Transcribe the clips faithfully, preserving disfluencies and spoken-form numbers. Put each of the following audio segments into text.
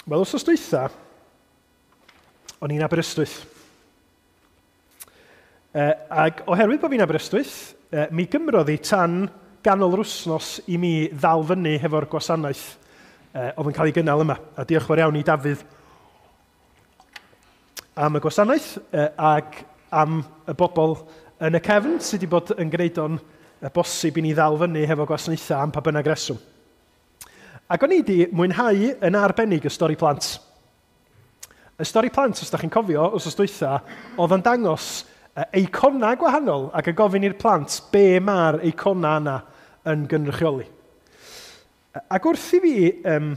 Wel, wsos dwytha, o'n i'n Aberystwyth. E, ac oherwydd bod fi'n Aberystwyth, e, mi gymrodd hi tan ganol yr wsnos i mi ddal fyny hefo'r gwasanaeth e, oedd yn cael ei gynnal yma. A diolch fawr iawn i Dafydd am y gwasanaeth e, ac am y bobl yn y cefn sydd wedi bod yn gwneud o'n bosib i ni ddal fyny hefo gwasanaethau am pa bynnag reswm. Ac o'n i wedi mwynhau yn arbennig y stori plant. Y stori plant, os da chi'n cofio, wsos dwytha, oedd yn dangos eicona gwahanol ac yn gofyn i'r plant be mae'r eicona yna yn gynrychioli. Ac wrth i fi um,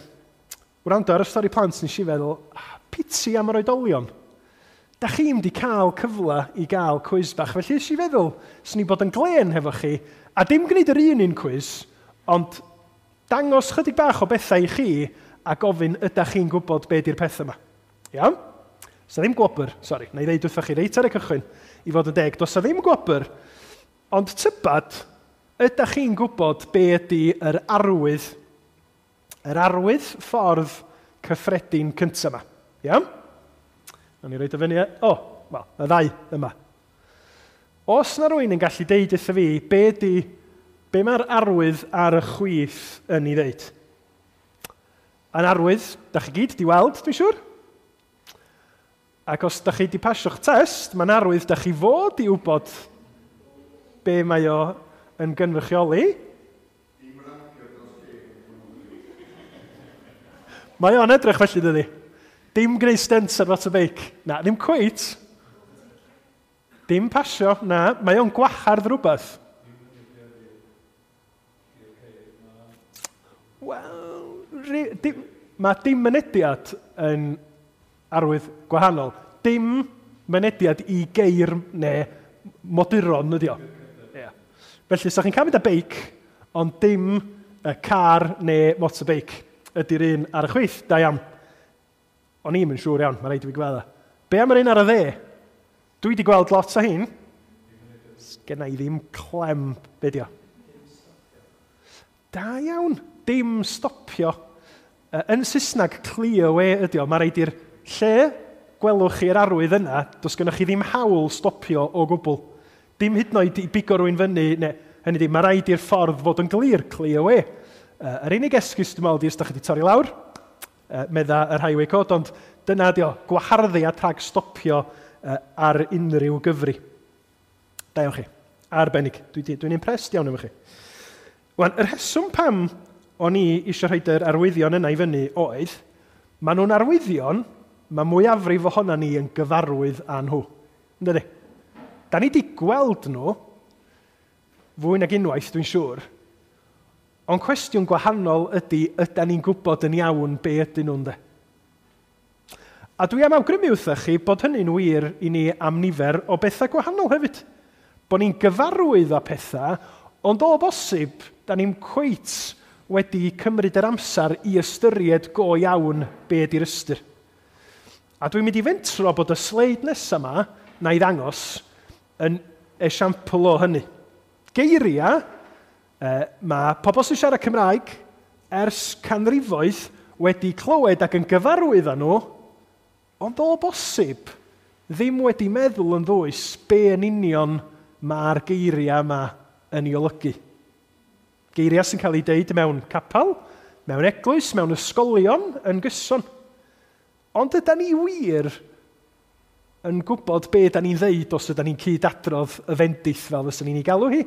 wrando ar y stori plant, nes i feddwl, ah, piti am yr oedolion. Da chi'm di cael cyfle i gael cwis bach, felly nes i feddwl, swn i bod yn glên hefo chi, a dim gwneud yr un un cwis, ond dangos chydig bach o bethau i chi a gofyn ydych chi'n gwybod be di'r peth yma. Iawn? Does 'na ddim gwobr, sori, na i ddeud wrthych chi reit ar y cychwyn i fod yn deg. Does 'na ddim gwobr, ond tybad, ydych chi'n gwybod be ydy yr arwydd, yr arwydd ffordd cyffredin cyntaf yma. Iawn? Nawn ni roid o fyny, o, wel, y ddau yma. Os na rywun yn gallu deud wrtho fi, be ydy, be mae'r arwydd ar y chwith yn ei ddeud? Yn arwydd, da chi gyd di weld, dwi'n siŵr? Ac os da chi di pasio'ch test, mae'n arwydd da chi fod i wybod be mae o yn gynrychioli. Mae o'n edrych felly, dydy. Dim gwneud stents ar motorbike. Na, ddim cweit. Dim pasio, na. Mae o'n gwahardd rhywbeth. Wel, dim, mae dim mynediad yn arwydd gwahanol. Dim mynediad i geir neu moduron ydi o. Yeah. Felly, so chi'n cael mynd â beic, ond dim y car neu motorbike ydy'r un ar y chwith. Da iawn. O'n i'm yn siŵr iawn, mae rhaid i fi gweld o. Be am yr un ar y dde? Dwi wedi gweld lot o hyn. Sgenna i ddim clem, be di o? Da iawn, dim stopio. Yn Saesneg, clear way ydi o. Mae rhaid i'r lle gwelwch chi'r arwydd yna, does gennych chi ddim hawl stopio o gwbl. Dim hyd yn oed i bigo rhywun fyny, neu, hynny ydi, mae rhaid i'r ffordd fod yn glir, clear way. Uh, yr unig esgus dwi'n meddwl ydi os da chi wedi torri lawr, uh, medda yr highway code, ond dyna ydi o, gwaharddiad rhag stopio uh, ar unrhyw gyfri. Da iawn chi, arbennig. Dwi'n dwi, dwi impressed iawn efo chi. Wan, yr rheswm pam o'n i eisiau rhoid yr arwyddion yna i fyny oedd, maen nhw'n arwyddion, mae mwyafrif ohona ni yn gyfarwydd â nhw. Yndydi? Da ni wedi gweld nhw, fwy nag unwaith, dwi'n siŵr, ond cwestiwn gwahanol ydy, ydan ni'n gwybod yn iawn be ydyn nhw'n de? A dwi am awgrymu wrthych chi bod hynny'n wir i ni am nifer o bethau gwahanol hefyd. Bod ni'n gyfarwydd â pethau, ond o bosib, da ni'n cweit wedi cymryd yr amser i ystyried go iawn be ydy'r ystyr. A dwi'n mynd i fentro bod y sleid nesaf yma, na i ddangos, yn esiampl o hynny. Geiriau, eh, mae pobl sy'n siarad Cymraeg ers canrifoedd wedi clywed ac yn gyfarwydd â nhw, ond o bosib ddim wedi meddwl yn ddwys be yn union mae'r geiriau yma yn ei olygu. Geiriau sy'n cael eu deud mewn capel, mewn eglwys, mewn ysgolion yn gyson. Ond ydan ni wir yn gwybod be da ni'n ddeud os ydan ni'n cyd-adrodd y fendith fel fysa ni'n ei galw hi.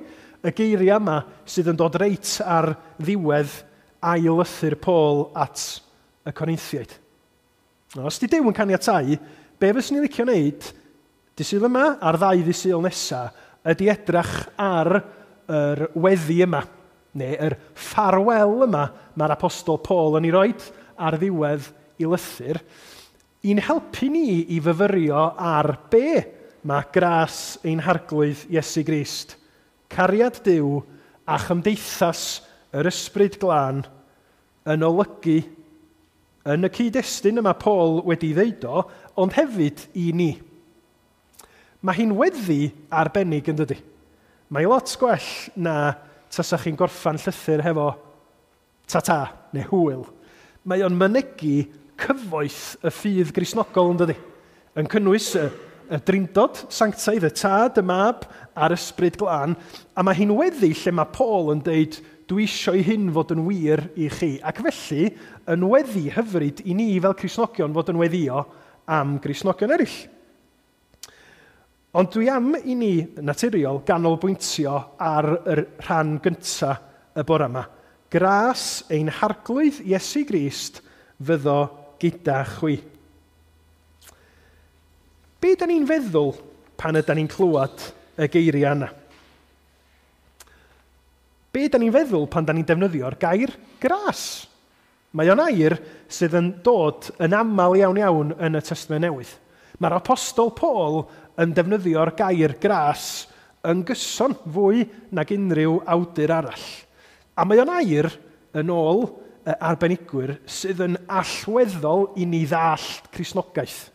Y geiriau yma sydd yn dod reit ar ddiwedd ail lythyr Paul at y Corinthiaid. Os di Duw yn caniatáu, be fyswn i'n licio wneud, dydd Sul yma a'r ddau ddydd Sul nesaf, ydy edrach ar yr weddi yma, neu yr ffarwel yma mae'r apostol Paul yn ei roid ar ddiwedd i lythyr, i'n helpu ni i fyfyrio ar be mae gras ein harglwydd Iesu Grist, cariad Duw a chymdeithas yr Ysbryd Glân yn olygu yn y cyd-destun yma Paul wedi ddeud o, ond hefyd i ni. Mae hi'n weddi arbennig yn dydy. Mae lot gwell na tasach chi'n gorffan llythyr hefo ta-ta neu hwyl. Mae o'n mynegi cyfoeth y ffydd Gristnogol, yn dydy? Yn cynnwys y, y Drindod Sanctaidd, y Tad, y Mab a'r Ysbryd Glân. A mae hi'n weddi lle mae Paul yn deud, dwi eisiau i hyn fod yn wir i chi. Ac felly, yn weddi hyfryd i ni fel Cristnogion fod yn weddio am Gristnogion eraill. Ond dwi am i ni naturiol ganolbwyntio ar yr rhan gyntaf y bore yma. Gras ein Harglwydd Iesu Grist fyddo gyda chwi. Be da ni'n feddwl pan ydan ni'n clywed y geiriau yna? Be da ni'n feddwl pan da ni'n defnyddio'r gair gras? Mae o'n air sydd yn dod yn aml iawn iawn yn y Testament Newydd. Mae'r Apostol Paul yn defnyddio'r gair gras yn gyson fwy nag unrhyw awdur arall. A mae o'n air yn ôl arbenigwyr sydd yn allweddol i ni ddallt Cristnogaeth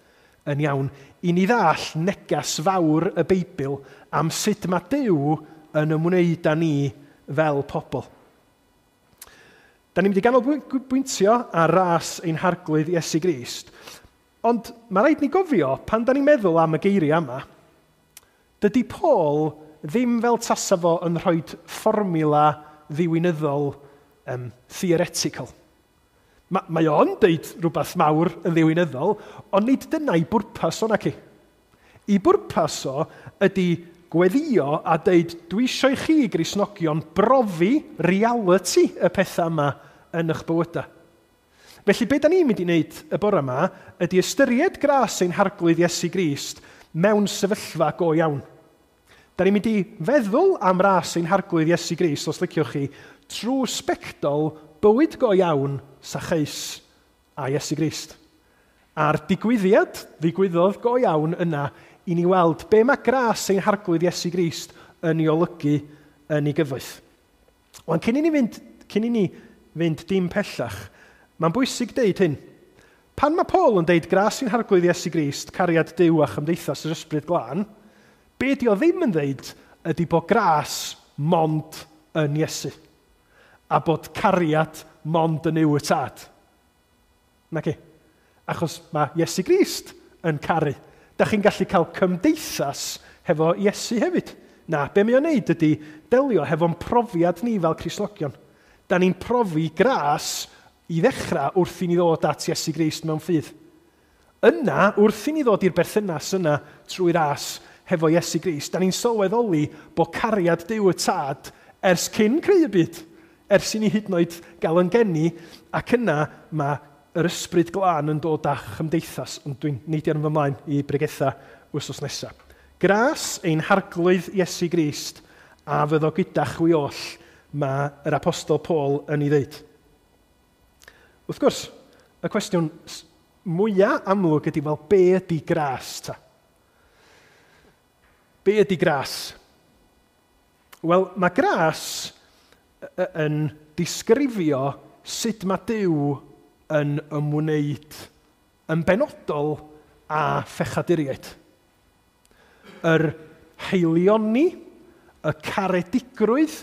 yn iawn, i ni ddallt negas fawr y Beibl am sut mae Duw yn ymwneud â ni fel pobl. Da ni'n mynd i ganolbwyntio ar ras ein Harglwydd Iesu Grist, ond mae rhaid ni gofio, pan da ni'n meddwl am y geiriau yma, dydy Paul ddim fel tasa fo yn rhoi fformula ddiwinyddol um, theoretical. Ma, mae o'n deud rhywbeth mawr yn ddiwinyddol, ond nid dyna i bwrpas o naci. I bwrpas o ydy gweddio a deud, dwi eisiau i chi, Gristnogion, brofi reality y pethau yma yn eich bywydau. Felly, be da ni'n mynd i wneud y bore yma ydy ystyried gras ein Harglwydd Iesu Grist mewn sefyllfa go iawn. Da ni'n mynd i feddwl am ras ein Harglwydd Iesu Grist, os liciwch chi, trwy sbectol bywyd go iawn Sacheus a Iesu Grist. A'r digwyddiad ddigwyddodd go iawn yna i ni weld be mae gras ein Harglwydd Iesu Grist yn ei olygu yn ei gyfoeth. Wan, cyn i ni fynd, cyn i ni fynd dim pellach, mae'n bwysig deud hyn. Pan mae Paul yn deud gras ein Harglwydd Iesu Grist, cariad Duw a chymdeithas yr Ysbryd Glân, be di o ddim yn deud ydy bod gras mond yn Iesu a bod cariad mond yn Nuw y Tad. Naci. Achos mae Iesu Grist yn caru. Da chi'n gallu cael cymdeithas hefo Iesu hefyd. Na, be mae o'n neud ydy delio hefo'n profiad ni fel Cristnogion. Da ni'n profi gras i ddechrau wrth i ni ddod at Iesu Grist mewn ffydd. Yna, wrth i ni ddod i'r berthynas yna trwy ras hefo Iesu Grist, da ni'n sylweddoli bod cariad Duw y Tad ers cyn creu y byd, ers i ni hyd yn oed gael yn geni, ac yna mae yr Ysbryd Glân yn dod â chymdeithas, ond dwi'n neidio yn fy mlaen i bregetha wythnos nesaf. Gras ein Harglwydd Iesu Grist a fyddo gyda chwi oll, mae yr Apostol Paul yn ei ddeud. Wrth gwrs, y cwestiwn mwyaf amlwg ydy, wel, be ydy gras ta? Be ydy gras? Wel, mae gras yn disgrifio sut mae Duw yn ymwneud yn benodol â phechaduriaid. Yr haelioni, y caredigrwydd,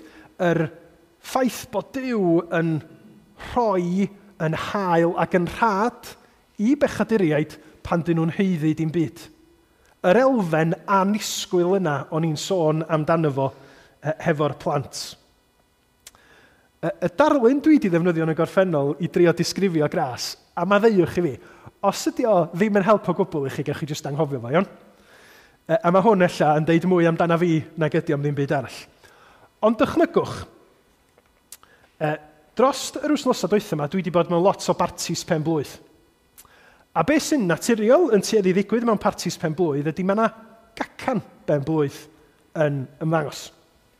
yr ffaith bod Duw yn rhoi yn hael ac yn rhad i bechaduriaid pan dyn nhw'n haeddu dim byd. Yr elfen annisgwyl yna o'n i'n sôn amdano fo hefo'r plant. Y darlun dwi wedi ddefnyddio yn y gorffennol i drio disgrifio gras, a maddeuwch i fi, os ydy o ddim yn help o gwbl i chi, gewch chi jyst anghofio fo, iawn? A mae hwn ella yn deud mwy amdana fi nag ydy am ddim byd arall. Ond dychmygwch, dros yr wythnosau dwytha yma, dwi wedi bod mewn lot o bartis pen blwydd. A beth sy'n naturiol yn tueddu i ddigwydd mewn partis pen blwydd ydy mae yna gacan ben blwydd yn ymddangos.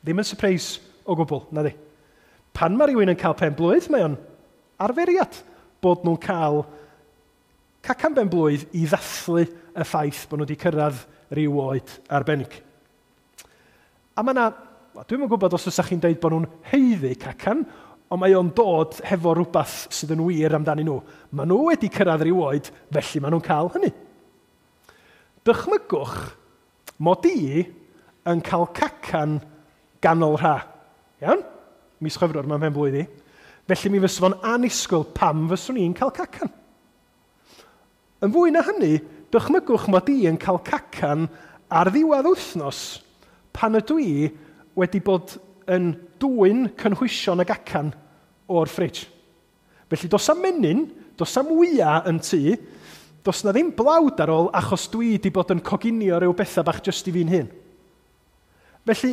Ddim yn surprise o gwbl, na di. Pan mae rhywun yn cael pen blwydd, mae o'n arferiad bod nhw'n cael cacan ben blwydd i ddathlu y ffaith bod nhw wedi cyrraedd rhyw oed arbennig. A mae yna, dwi'm yn gwybod os ydych chi'n dweud bod nhw'n haeddu cacan, ond mae o'n dod hefo rhywbeth sydd yn wir amdanyn nhw. Maen nhw wedi cyrraedd rhyw oed, felly maen nhw'n cael hynny. Dychmygwch mod i yn cael cacan ganol rha. Iawn? Mis Chwefror mae'n pen blwydd i. Felly mi fysa fo'n annisgwyl pam fyswn i'n cael cacan. Yn fwy na hynny, dychmygwch mod i yn cael cacan ar ddiwedd wythnos pan ydw i wedi bod yn dwyn cynhwysion y gacan o'r ffridge. Felly does am menyn, does am wya yn tŷ, does na ddim blawd ar ôl achos dwi wedi bod yn coginio rhyw bethau bach jyst i fi'n hun. Felly,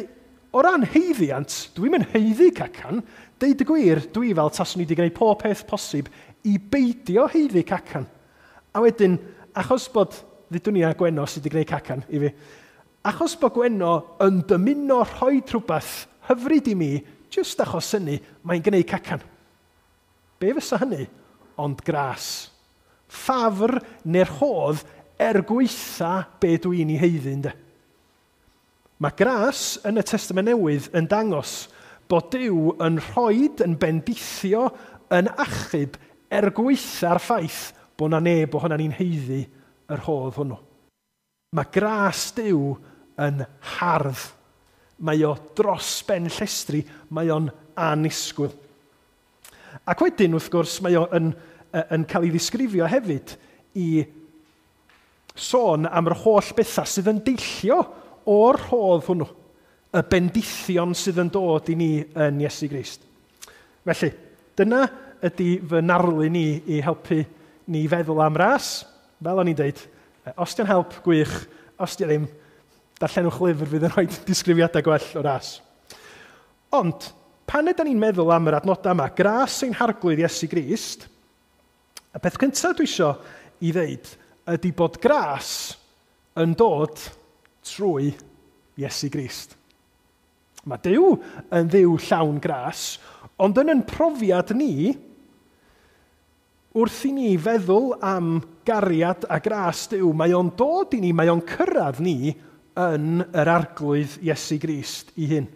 o ran haeddiant, dwi'm yn haeddu cacan. Deud y gwir, dwi fel taswn i wedi gwneud pob peth posib i beidio haeddu cacan. A wedyn, achos bod, ddudwn ni a Gwenno sydd wedi gwneud cacan i fi, achos bod Gwenno yn dymuno rhoi rhywbeth hyfryd i mi, jyst achos hynny, mae'n gwneud cacan. Be fysa hynny? Ond gras. Ffafr neu'r rhodd er gweitha be dwi'n ei haeddu, ynde. Mae gras yn y Testament Newydd yn dangos bod Duw yn rhoid, yn bendithio, yn achub er gweitha'r ffaith bod na neb ohonan ni'n haeddu yr rhodd hwnnw. Mae gras Duw yn hardd. Mae o dros ben llestri, mae o'n annisgwyl. Ac wedyn, wrth gwrs, mae o yn, yn cael ei ddisgrifio hefyd i sôn am yr holl bethau sydd yn deillio o'r rhodd hwnnw, y bendithion sydd yn dod i ni yn Iesu Grist. Felly, dyna ydy fy narlun i i helpu ni feddwl am ras. Fel o'n i'n deud, os di'n help, gwych, os di ddim, darllenwch lyfr fydd yn rhoi disgrifiadau gwell o ras. Ond, pan ydyn ni'n meddwl am yr adnodau yma, gras ein harglwydd Iesu Grist, y peth cyntaf dwi isio i ddeud ydy bod gras yn dod trwy Iesu Grist. Mae Duw yn Dduw llawn gras, ond yn yn profiad ni, wrth i ni feddwl am gariad a gras Duw, mae o'n dod i ni, mae o'n cyrraedd ni yn yr arglwydd Iesu Grist ei hun.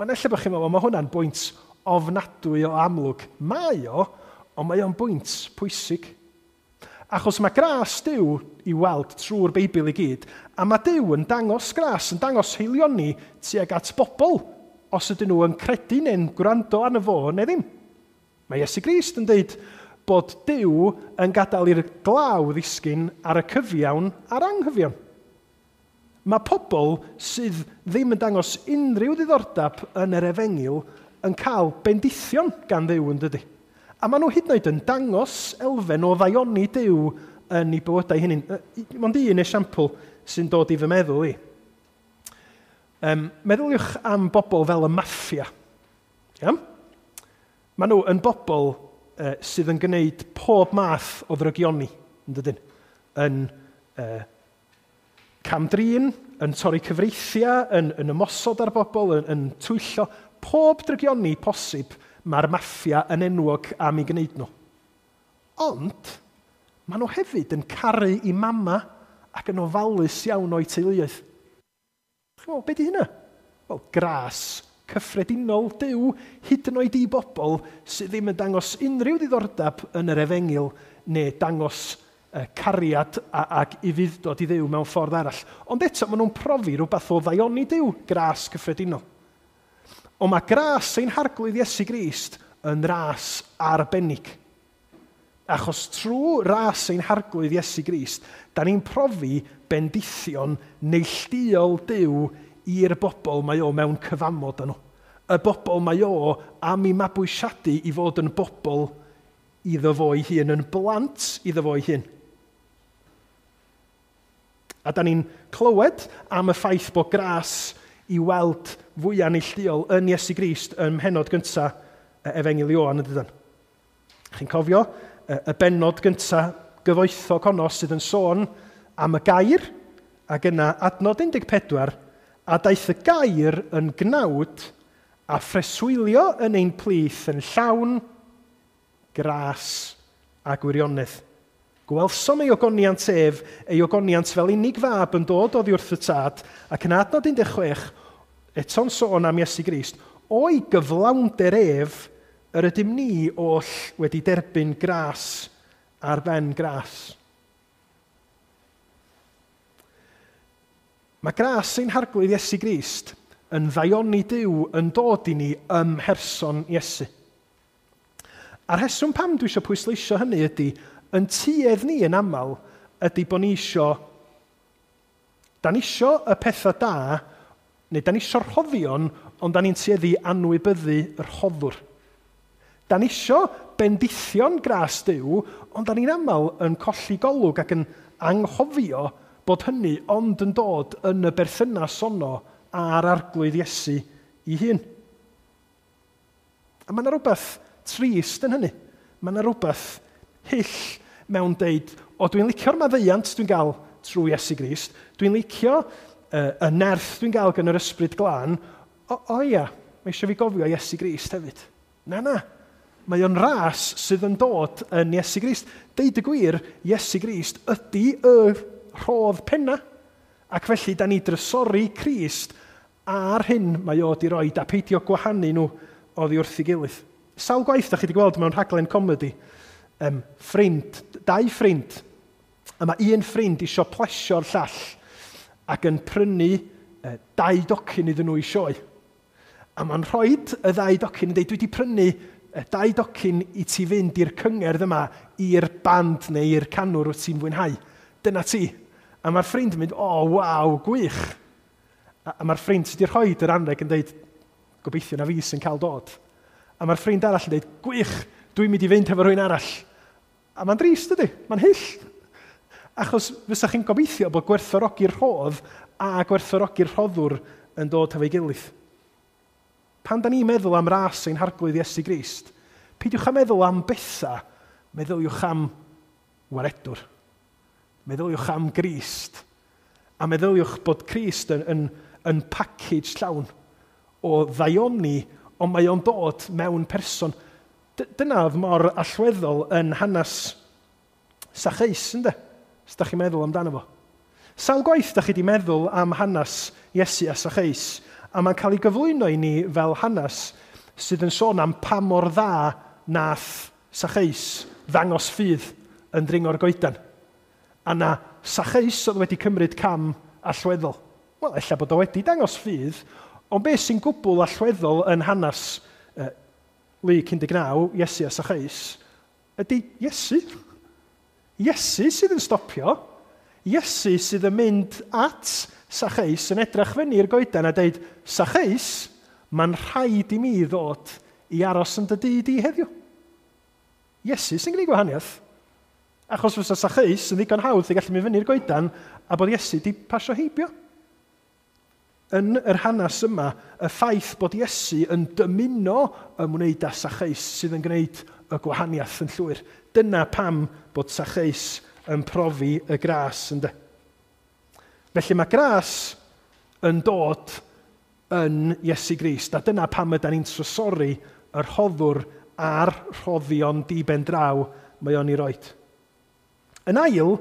Ond ella bod chi'n meddwl, mae hwnna'n bwynt ofnadwy o amlwg. Mae o, ond mae o'n bwynt pwysig. Achos mae gras Duw i weld trwy'r Beibl i gyd, a mae Duw yn dangos gras, yn dangos haelioni tuag at bobl, os ydyn nhw yn credu neu'n gwrando arno fo neu ddim. Mae Iesu Grist yn dweud bod Duw yn gadael i'r glaw ddisgyn ar y cyfiawn a'r anghyfiawn. Mae pobl sydd ddim yn dangos unrhyw ddiddordeb yn yr efengyl yn cael bendithion gan Dduw, yn dydy. A maen nhw hyd yn oed yn dangos elfen o ddaioni Duw yn eu bywydau hynny. Mond un esiampl sy'n dod i fy meddwl i. Um, meddyliwch am bobl fel y maffia. Iawn? Maen nhw yn bobl uh, sydd yn gwneud pob math o ddrygioni, yn dydyn? Yn uh, camdrin, yn torri cyfreithiau, yn, yn ymosod ar bobl, yn, yn twyllo. Pob drygioni posib mae'r maffia yn enwog am ei gwneud nhw. Ond, maen nhw hefyd yn caru i mama ac yn ofalus iawn o'i teuluoedd. Chi'n meddwl, be di hynna? Wel, gras cyffredinol Duw, hyd yn oed i bobl sydd ddim yn dangos unrhyw ddiddordeb yn yr efengyl neu dangos cariad ac ufudd-dod i Dduw mewn ffordd arall. Ond eto, maen nhw'n profi rhywbeth o ddaioni Duw, gras cyffredinol. Ond mae gras ein harglwydd Iesu Grist yn ras arbennig. Achos trwy ras ein harglwydd Iesu Grist, da ni'n profi bendithion neilltuol Duw i'r bobl mae o mewn cyfamod â nhw. Y bobl mae o am ei mabwysiadu i fod yn bobl iddo fo ei hun, yn blant iddo fo ei hun. A da ni'n clywed am y ffaith bod gras i weld fwyaf neilltuol yn Iesu Grist ym mhennod gyntaf Efengyl Ioan, yn dydan. Chi'n cofio y bennod gyntaf gyfoethog honno sydd yn sôn am y gair, ac yna adnod un deg pedwar, a daeth y gair yn gnawd a phreswylio yn ein plith yn llawn gras a gwirionedd. Gwelsom ei ogoniant ef, ei ogoniant fel unig fab yn dod oddi wrth y tad, ac yn adnod un deg chwech, eto'n sôn am Iesu Grist, o'i gyflawnder ef, yr ydym ni oll wedi derbyn gras ar ben gras. Mae gras ein harglwydd Iesu Grist yn ddaioni Duw yn dod i ni ym mherson Iesu. A'r rheswm pam dwi eisiau pwysleisio hynny ydy, yn tuedd ni yn aml, ydy bod ni isio, da ni isio y pethau da, neu da ni isio'r rhoddion, ond da ni'n tueddu anwybyddu yr rhoddwr. Da ni isio bendithion gras Duw, ond da ni'n aml yn colli golwg ac yn anghofio bod hynny ond yn dod yn y berthynas honno a'r Arglwydd Iesu ei hun. A mae yna rhywbeth trist yn hynny. Mae yna rhywbeth hyll mewn deud, o, dwi'n licio'r maddeuant dwi'n gael trwy Iesu Grist, dwi'n licio uh, y nerth dwi'n gael gan yr Ysbryd Glân, o, o ia, mae eisiau fi gofio Iesu Grist hefyd. Na, na. Mae o'n ras sydd yn dod yn Iesu Grist. Deud y gwir, Iesu Grist ydy y rhodd penna. Ac felly, da ni drysori Crist a'r hyn mae o di roi, a peidio gwahanu nhw oddi wrth ei gilydd. Sawl gwaith da chi wedi gweld mewn rhaglen comedi, um, ffrind, dau ffrind, a mae un ffrind isio plesio'r llall ac yn prynu uh, dau docyn iddyn nhw i sioe. A mae'n rhoi y ddau docyn yn dweud, dwi wedi prynu uh, dau docyn i ti fynd i'r cyngerdd yma, i'r band neu i'r canwr wyt ti'n fwynhau. Dyna ti. A mae'r ffrind yn mynd, o, oh, waw, gwych. A, a mae'r ffrind sydd wedi rhoi yr anreg yn dweud, gobeithio na fi sy'n cael dod. A mae'r ffrind arall yn dweud, gwych, dwi'n mynd i fynd hefo rhywun arall. A mae'n drist, ydy, mae'n hyll. Achos fysa chi'n gobeithio bod gwerthfawrogi'r rhodd a gwerthfawrogi'r rhoddwr yn dod hefo'i gilydd. Pan da ni'n meddwl am ras ein Harglwydd Iesu Grist, peidiwch â meddwl am bethau, meddyliwch am waredwr. Meddyliwch am Grist. A meddyliwch bod Crist yn, yn, yn package llawn o ddaioni, ond mae o'n dod mewn person. Dyna oedd mor allweddol yn hanes Sacheus, ynde? Os da chi'n meddwl amdano fo. Sawl gwaith da chi wedi meddwl am hanes Iesu a Sacheus, a mae'n cael ei gyflwyno i ni fel hanes sydd yn sôn am pa mor dda nath Sacheus ddangos ffydd yn dringo'r goedan. A na Sacheus oedd wedi cymryd cam allweddol. Wel, ella bod o wedi dangos ffydd, ond beth sy'n gwbl allweddol yn hanes uh, Luc un deg naw, Iesu a Sacheus, ydy Iesu. Iesu sydd yn stopio. Iesu sydd yn mynd at Sacheus yn edrych fyny i'r goedan a dweud, Sacheus, mae'n rhaid i mi ddod i aros yn dy dŷ di heddiw. Iesu sy'n gwneud gwahaniaeth. Achos fysa Sacheus yn ddigon hawdd i gallu mynd fyny'r goedan a bod Iesu di pasio heibio. Yn yr hanes yma, y ffaith bod Iesu yn dymuno ymwneud â Sacheus sydd yn gwneud y gwahaniaeth yn llwyr. Dyna pam bod Sacheus yn profi y gras, ynde. Felly mae gras yn dod yn Iesu Grist, a dyna pam ydan ni'n trysori y rhoddwr a'r rhoddion di-ben draw mae o'n ei roed. Yn ail,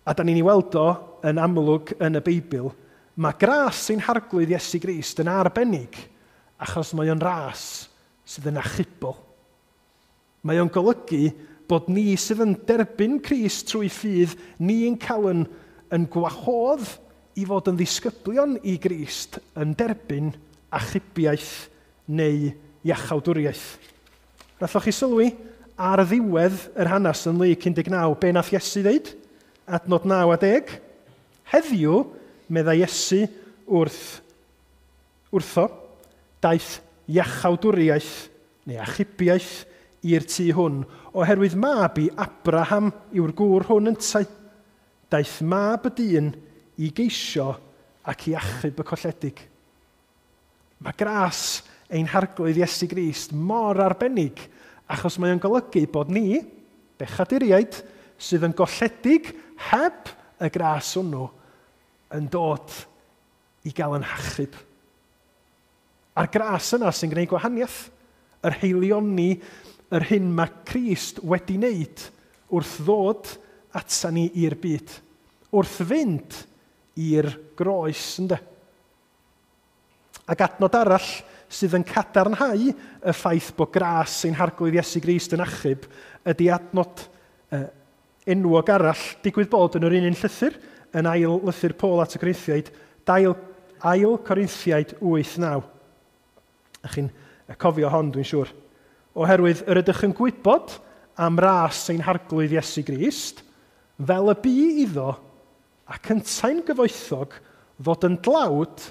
a da ni'n ei weld o yn amlwg yn y Beibl, mae gras ein Harglwydd Iesu Grist yn arbennig achos mae o'n ras sydd yn achubol. Mae o'n golygu bod ni sydd yn derbyn Crist trwy ffydd, ni'n cael yn, yn gwahodd i fod yn ddisgyblion i Grist yn derbyn achubiaeth neu iachawdwriaeth. Nathoch chi sylwi ar ddiwedd yr hanes yn Luc un deg naw, be nath Iesu ddeud? Adnod naw a deg. Heddiw, meddai Iesu wrth, wrtho, daeth iachawdwriaeth neu achubiaeth i'r tŷ hwn, oherwydd mab i Abraham yw'r gŵr hwn yntau. Daeth mab y dyn i geisio ac i achub y colledig. Mae gras ein Harglwydd Iesu Grist mor arbennig, achos mae o'n golygu bod ni, bechaduriaid, sydd yn golledig heb y gras hwnnw, yn dod i gael yn hachub. A'r gras yna sy'n gwneud gwahaniaeth, yr heilioni, yr hyn mae Crist wedi wneud wrth ddod ata ni i'r byd, wrth fynd i'r groes, ynde. Ac adnod arall sydd yn cadarnhau y ffaith bod gras ein Harglwydd Iesu Grist yn achub ydy adnod uh, enwog arall, digwydd bod yn yr un un llythyr, yn ail lythyr Paul at y Corinthiaid, dail, ail Corinthiaid wyth naw. A chi'n cofio hon, dwi'n siŵr. Oherwydd yr ydych yn gwybod am ras ein harglwydd Iesu Grist, fel y bu iddo ac yntau'n gyfoethog fod yn dlawd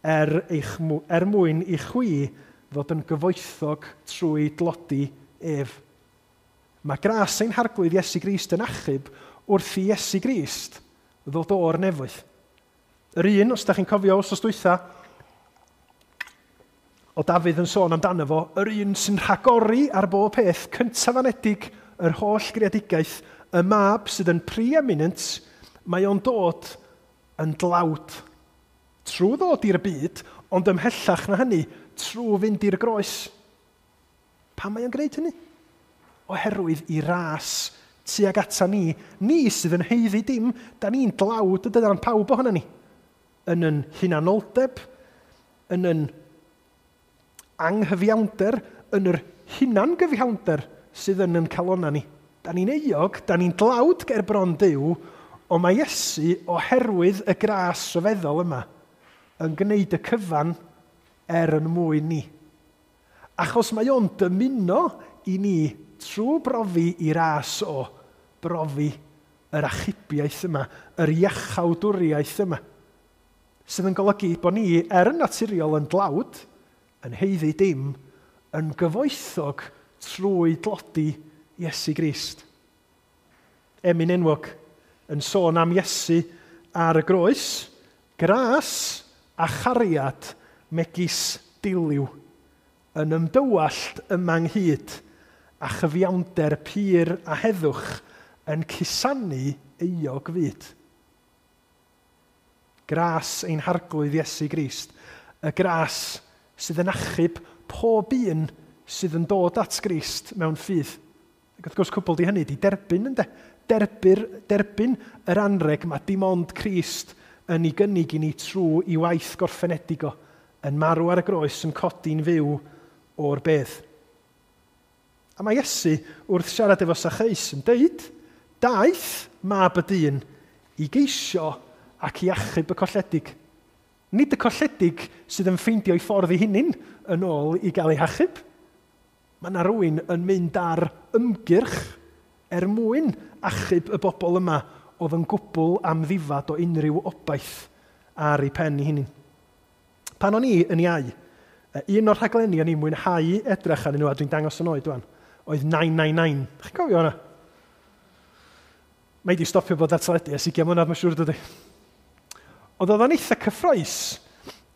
er, eich, er mwyn i chwi fod yn gyfoethog trwy dlodi ef. Mae gras ein harglwydd Iesu Grist yn achub wrth i Iesu Grist ddod o'r nefoedd. Yr un, os da chi'n cofio wsos dwytha, o Dafydd yn sôn amdano fo, yr un sy'n rhagori ar bob peth, cyntaf anedig yr holl greadigaeth, y mab sydd yn preeminent, mae o'n dod yn dlawd. Trwy ddod i'r byd, ond ymhellach na hynny, trwy fynd i'r groes. Pam mae o'n gwneud hynny? Oherwydd i ras tuag ata ni, ni sydd yn haeddu dim, da ni'n dlawd, ydydan pawb ohono ni. Yn yn hunanoldeb, yn yn anghyfiawnder, yn yr hunangyfiawnder sydd yn yn calona ni. Da ni'n euog, da ni'n dlawd ger bron Duw, ond mae Iesu, oherwydd y gras rhyfeddol yma, yn gwneud y cyfan er yn mwyn ni. Achos mae o'n dymuno i ni trwy brofi i ras o brofi yr achubiaeth yma, yr iachawdwriaeth yma, sydd yn golygu bod ni, er yn naturiol yn dlawd, yn haeddu dim, yn gyfoethog trwy dlodi Iesu Grist. Emyn enwog yn sôn am Iesu ar y groes, gras a chariad megis diliw, yn ymdywallt yma ynghyd a chyfiawnder pur a heddwch yn cusanu euog fyd. Gras ein harglwydd Iesu Grist, y gras sydd yn achub pob un sydd yn dod at Grist mewn ffydd. Ac wrth gwrs cwbl di hynny, di derbyn ynde? Derbyr, derbyn yr anreg mae dim ond Crist yn ei gynnig i ni trwy i waith gorffenedig o, yn marw ar y groes, yn codi'n fyw o'r bedd. A mae Iesu wrth siarad efo Sacheus yn deud, daeth mab y dyn i geisio ac i achub y colledig. Nid y colledig sydd yn ffeindio ei ffordd ei hunin yn ôl i gael ei hachub. Mae yna rhywun yn mynd ar ymgyrch er mwyn achub y bobl yma oedd yn gwbl amddifad o unrhyw obaith ar ei pen ei hunin. Pan o'n i yn iau, un o'r rhaglenni o'n i'n mwynhau edrych arnyn nhw, a dwi'n dangos yn oed wan, oedd nine nine nine. Chi'n cofio hwnna? Mae di stopio bod ar teledu ers ugain mlynedd, mae'n siŵr dydy. Ond oedd o'n eitha cyffrous,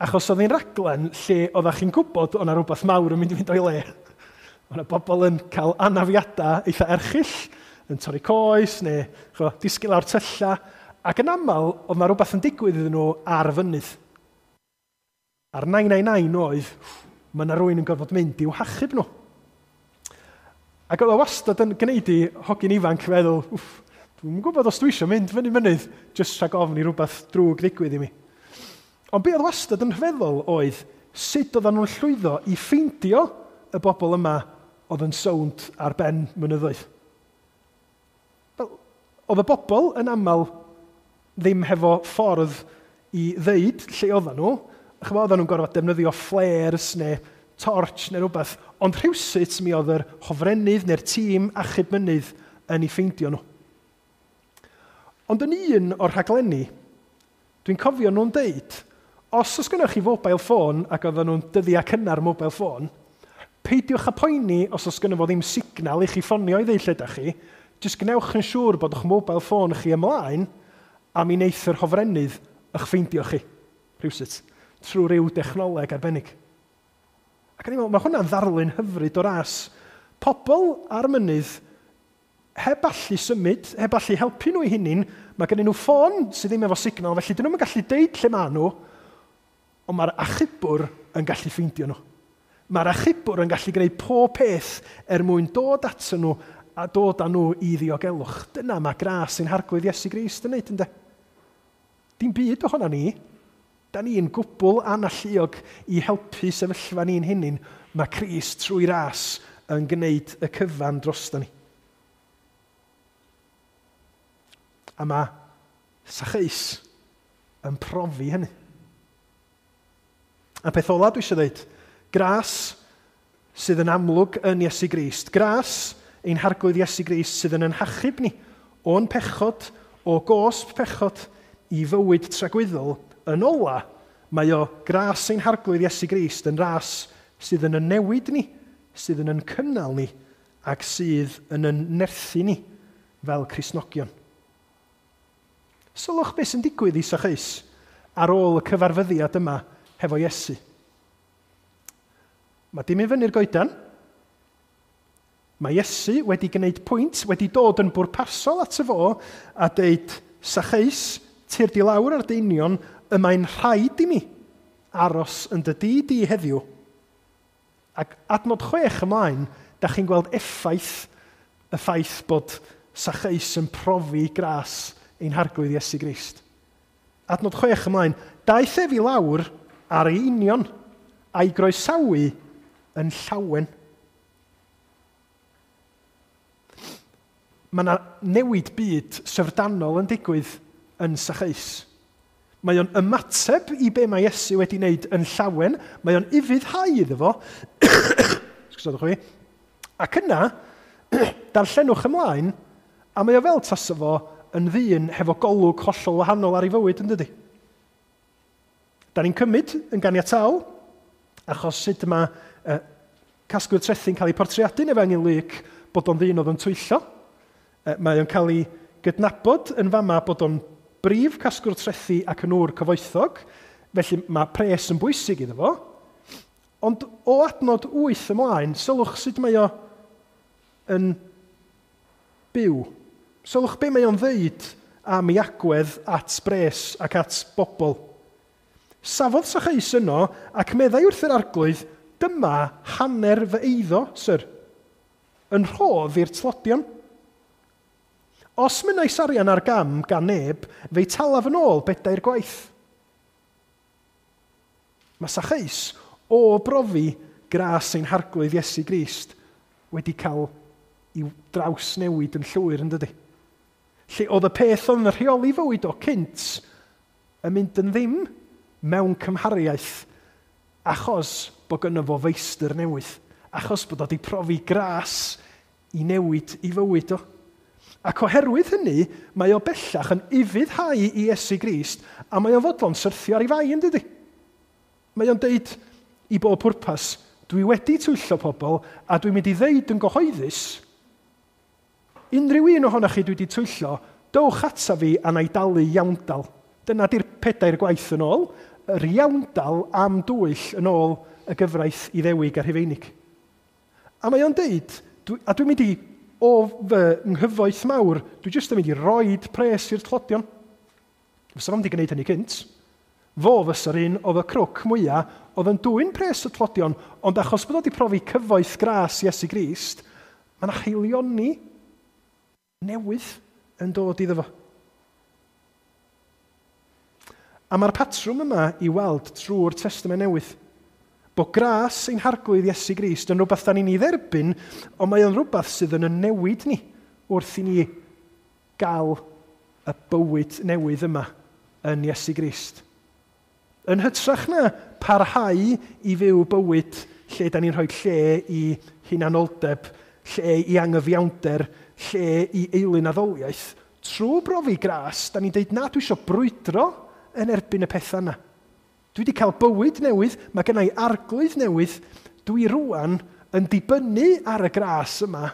achos oedd hi'n raglen lle oeddech chi'n gwybod o'na rhywbeth mawr yn mynd i fynd o'i le. O'na bobl yn cael anafiadau eitha erchyll, yn torri coes neu chwa, disgyn lawr tylla, ac yn aml oedd yna rhywbeth yn digwydd iddyn nhw ar fynydd. A'r nine nine nine oedd, mae yna rhywun yn gorfod mynd i'w hachub nhw. Ac oedd o wastad yn gwneud i hogyn ifanc feddwl, wff, dwi'n gwybod os dwi eisiau mynd fyny mynydd, jyst rhag ofn i rhywbeth drwg ddigwydd i mi. Ond be oedd wastad yn rhyfeddol oedd sut oedden nhw'n llwyddo i ffeindio y bobl yma oedd yn sownd ar ben mynyddoedd. Wel, oedd y bobl yn aml ddim hefo ffordd i ddeud lle oedden nhw. Chymod, oedden nhw'n gorfod defnyddio flares neu torch neu rhywbeth, ond rhywsut mi oedd yr hofrennydd neu'r tîm achub mynydd yn ei ffeindio nhw. Ond yn un o'r rhaglenni, dwi'n cofio nhw'n deud, os oes gennych chi mobile phone ac oedden nhw'n dyddiau cynnar mobile phone, peidiwch â poeni os oes gynno fo ddim signal i chi ffonio i ddeud lle da chi, jyst gwnewch yn siŵr bod eich mobile phone chi ymlaen a mi wneith yr hofrennydd eich ffeindio chi, rhywsut, trwy ryw dechnoleg arbennig. Ac o'n i'n meddwl, mae hwnna'n ddarlun hyfryd o ras. Pobl ar mynydd heb allu symud, heb allu helpu nhw i hunin, mae gen nhw ffôn sydd ddim efo signal, felly dyn nhw'n gallu deud lle maen nhw, ond mae'r achubwr yn gallu ffeindio nhw. Mae'r achubwr yn gallu gwneud pob peth er mwyn dod ato nhw a dod â nhw i ddiogelwch. Dyna mae gras ein harglwydd Iesu Grist yn neud, ynde? Dim byd ohona ni. Da ni'n gwbl analluog i helpu sefyllfa ni'n hunin. Mae Crist trwy ras yn gwneud y cyfan drosto ni. A mae Sacheus yn profi hynny. A peth ola dwi eisiau dweud, gras sydd yn amlwg yn Iesu Grist. Gras ein Harglwydd Iesu Grist sydd yn ein hachub ni o'n pechod, o gosb pechod i fywyd tragwyddol. Yn ola, mae o gras ein Harglwydd Iesu Grist yn ras sydd yn yn newid ni, sydd yn yn cynnal ni, ac sydd yn yn nerthu ni fel Cristnogion. Sylwch beth sy'n digwydd i Sacheus ar ôl y cyfarfyddiad yma hefo Iesu. Mae dim i fyny'r goedan. Mae Iesu wedi gwneud pwynt, wedi dod yn bwrpasol at y fo a deud, Sacheus, tyrd i lawr ar dy union, y mae'n rhaid i mi aros yn dy dŷ di heddiw. Ac adnod chwech ymlaen, da chi'n gweld effaith y ffaith bod Sacheus yn profi gras ein Harglwydd Iesu Grist. Adnod chwech ymlaen, daeth ef i lawr ar ei union a'i groesawu yn llawen. Mae yna newid byd syfrdanol yn digwydd yn Sacheus. Mae o'n ymateb i be mae Iesu wedi wneud yn llawen, mae o'n ufuddhau iddo fo, sgwsodwch fi, ac yna, darllenwch ymlaen, a mae o fel tasa fo yn ddyn hefo golwg hollol wahanol ar ei fywyd, yn dydi? Da ni'n cymryd yn ganiataol, achos sut mae uh, casglwyr trethi'n cael ei portreadu yn Efengyl Luc bod o'n ddyn oedd yn twyllo. Uh, mae o'n cael ei gydnabod yn fama bod o'n brif casglwr trethi ac yn ŵr cyfoethog, felly mae pres yn bwysig iddo fo. Ond o adnod wyth ymlaen, sylwch sut mae o yn byw. Sylwch be mae o'n ddeud am ei agwedd at bres ac at bobl. Safodd Sacheus yno ac meddai wrth yr Arglwydd, dyma hanner fy eiddo, syr, yn rhodd i'r tlodion. Os mynnais arian ar gam gan neb, fe'i talaf yn ôl bedair gwaith. Mae Sacheus o brofi gras ein Harglwydd Iesu Grist wedi cael ei drawsnewid yn llwyr, yn dydi? Lle oedd y peth oedd yn rheoli fywyd o cynt yn mynd yn ddim mewn cymhariaeth achos bod gynno fo feistr newydd, achos bod o wedi profi gras i newid i fywyd o. Ac oherwydd hynny, mae o bellach yn ufuddhau i Iesu Grist a mae o'n fodlon syrthio ar ei fai, yn dydi? Mae o'n deud i bob pwrpas, dwi wedi twyllo pobl a dwi'n mynd i ddeud yn gyhoeddus, unrhyw un ohonoch chi dwi wedi twyllo, dowch ata fi a na i dalu iawndal. Dyna di'r pedair gwaith yn ôl, yr iawndal am dwyll yn ôl y gyfraith Iddewig a Rhufeinig. A mae o'n deud, dwi, a dwi'n mynd i, o fy nghyfoeth mawr, dwi jyst yn mynd i roid pres i'r tlodion. Fysa fo'm wedi gwneud hynny cynt. Fo fysa'r un oedd y crwc mwyaf, oedd yn dwyn pres y tlodion, ond achos bod o wedi profi cyfoeth gras Iesu Grist, mae yna haelioni newydd yn dod iddo fo. A mae'r patrwm yma i weld trwy'r Testament Newydd. Bod gras ein Harglwydd Iesu Grist yn rhywbeth da ni'n ei dderbyn, ond mae o'n rhywbeth sydd yn yn newid ni wrth i ni gael y bywyd newydd yma yn Iesu Grist. Yn hytrach na parhau i fyw bywyd lle da ni'n rhoi lle i hunanoldeb, lle i angyfiawnder, lle i eilunaddoliaeth, trwy brofi gras, da ni'n deud na, dwi eisiau brwydro yn erbyn y pethau yna. Dwi wedi cael bywyd newydd, mae gen i arglwydd newydd, dwi rŵan yn dibynnu ar y gras yma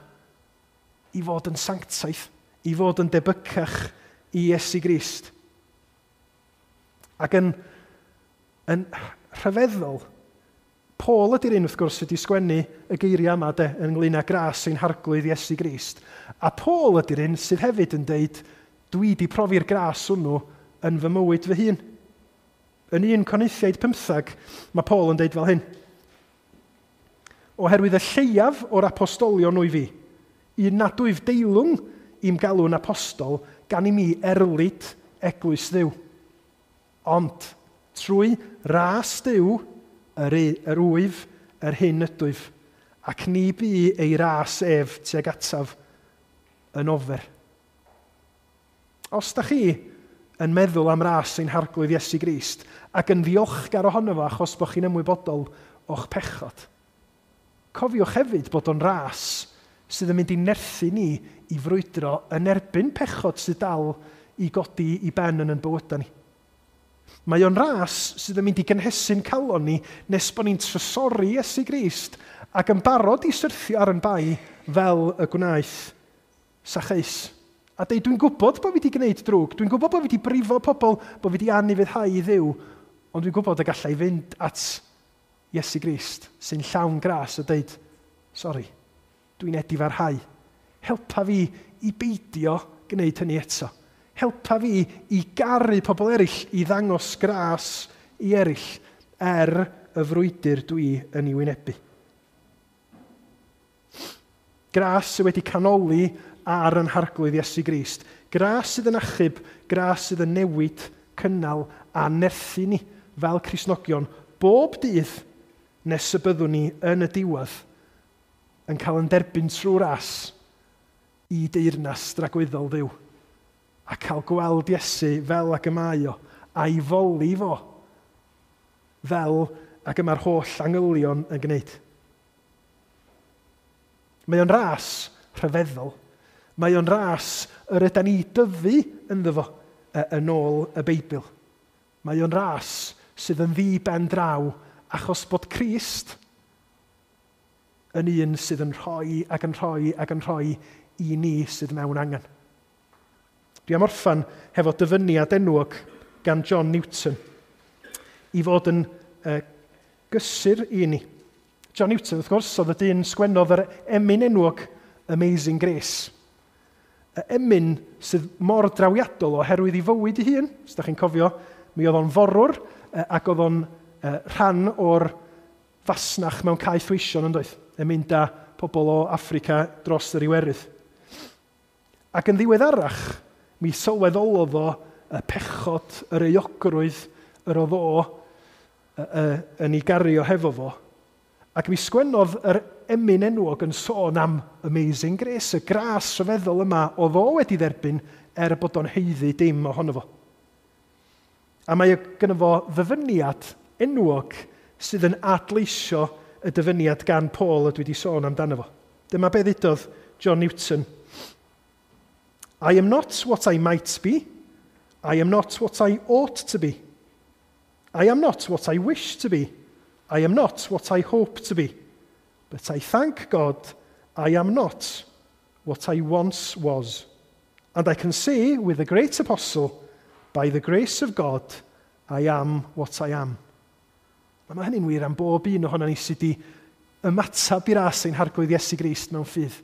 i fod yn sanctaidd, i fod yn debycach i Iesu Grist. Ac yn, yn rhyfeddol, Paul ydy'r un wrth gwrs sydd wedi sgwennu y geiriau yma de, ynglyn â gras ein Harglwydd Iesu Grist. A Paul ydy'r un sydd hefyd yn deud, dwi wedi profi'r gras hwnnw yn fy mywyd fy hun. Yn un Corinthiaid pymthag, mae Paul yn deud fel hyn. Oherwydd y lleiaf o'r apostolion wyf fi, un nad wyf deilwng i'm galw'n apostol, gan i mi erlid eglwys Dduw. Ond trwy ras Duw, yr, yr wyf, yr hyn ydwyf, ac ni bu ei ras ef tuag ataf yn ofer. Os da chi yn meddwl am ras ein Harglwydd Iesu Grist ac yn ddiolchgar ohono fo achos bod chi'n ymwybodol o'ch pechod, Cofiwch hefyd bod o'n ras sydd yn mynd i nerthu ni i frwydro yn erbyn pechod sydd dal i godi i ben yn yn bywydau ni. Mae o'n ras sydd yn mynd i gynhesu'n calon ni nes bod ni'n trysori Iesu Grist ac yn barod i syrthio ar yn bai fel y gwnaeth Sacheus. A deud, dwi'n gwybod bod fi wedi gwneud drwg, dwi'n gwybod bod fi wedi brifo pobl, bod fi wedi anufuddhau i Dduw, ond dwi'n gwybod y gallai fynd at Iesu Grist sy'n llawn gras a deud, sori, dwi'n edifarhau. Helpa fi i beidio gwneud hynny eto. Helpa fi i garu pobl eraill, i ddangos gras i eraill er y frwydr dwi yn ei wynebu. Gras sydd wedi canoli ar yn harglwydd Iesu Grist. Gras sydd yn achub, gras sydd yn newid, cynnal a nerthu ni fel Cristnogion bob dydd nes y byddwn ni yn y diwedd yn cael yn derbyn trwy ras i deyrnas dragwyddol Dduw a cael gweld Iesu fel ag y mae o a'i foli fo fel ag y mae'r holl angylion yn gwneud. Mae o'n ras rhyfeddol. Mae o'n ras yr ydan ni dyfu ynddo fo yn ôl y Beibl. Mae o'n ras sydd yn ddi ben draw achos bod Crist yn un sydd yn rhoi ac yn rhoi ac yn rhoi i ni sydd mewn angen. Dwi am orffan hefo dyfyniad enwog gan John Newton i fod yn uh, gysur i ni. John Newton, wrth gwrs, oedd y dyn sgwennodd yr emyn enwog Amazing Grace. Y emyn sydd mor drawiadol oherwydd ei fywyd ei hun. Os ydych chi'n cofio, mi oedd o'n forwr ac oedd o'n rhan o'r fasnach mewn caethweision yn doedd, yn mynd â pobl o Affrica dros yr Iwerydd. Ac yn ddiweddarach, mi sylweddolodd o y pechod, yr euogrwydd yr oedd o yn ei gario hefo fo. Ac mi sgwennodd yr emyn enwog yn sôn am Amazing Grace, y gras rhyfeddol yma oedd o wedi dderbyn er bod o'n haeddu dim ohono fo. A mae gynno fo ddyfyniad enwog sydd yn adleisio y dyfyniad gan Paul y dwi wedi sôn amdano fo. Dyma be ddudodd John Newton. I am not what I might be. I am not what I ought to be. I am not what I wish to be. I am not what I hope to be. But I thank God I am not what I once was. And I can say with the great apostle, by the grace of God, I am what I am. A mae hynny'n wir am bob un ohono ni sydd wedi ymateb i ras ein harglwydd Iesu Grist mewn ffydd,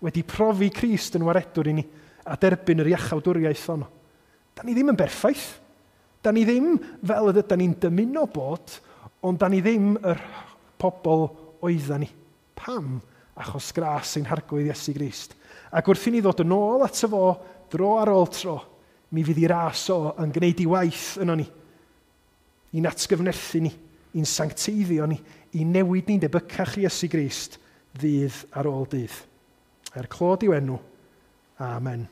wedi profi Crist yn waredwr i ni a derbyn yr iachawdwriaeth honno. Da ni ddim yn berffaith. Da ni ddim fel ydyn ni'n dymuno bod, ond da ni ddim yr pobl oedda ni. Pam? Achos gras ein harglwydd Iesu Grist. Ac wrth i ni ddod yn ôl ato fo, dro ar ôl tro, mi fydd i ras o yn gwneud i waith yno ni, i'n atgyfnerthu ni, i'n sancteiddio ni, i newid ni'n debycach i Iesu Grist ddydd ar ôl dydd. Er clod i'w enw. Amen.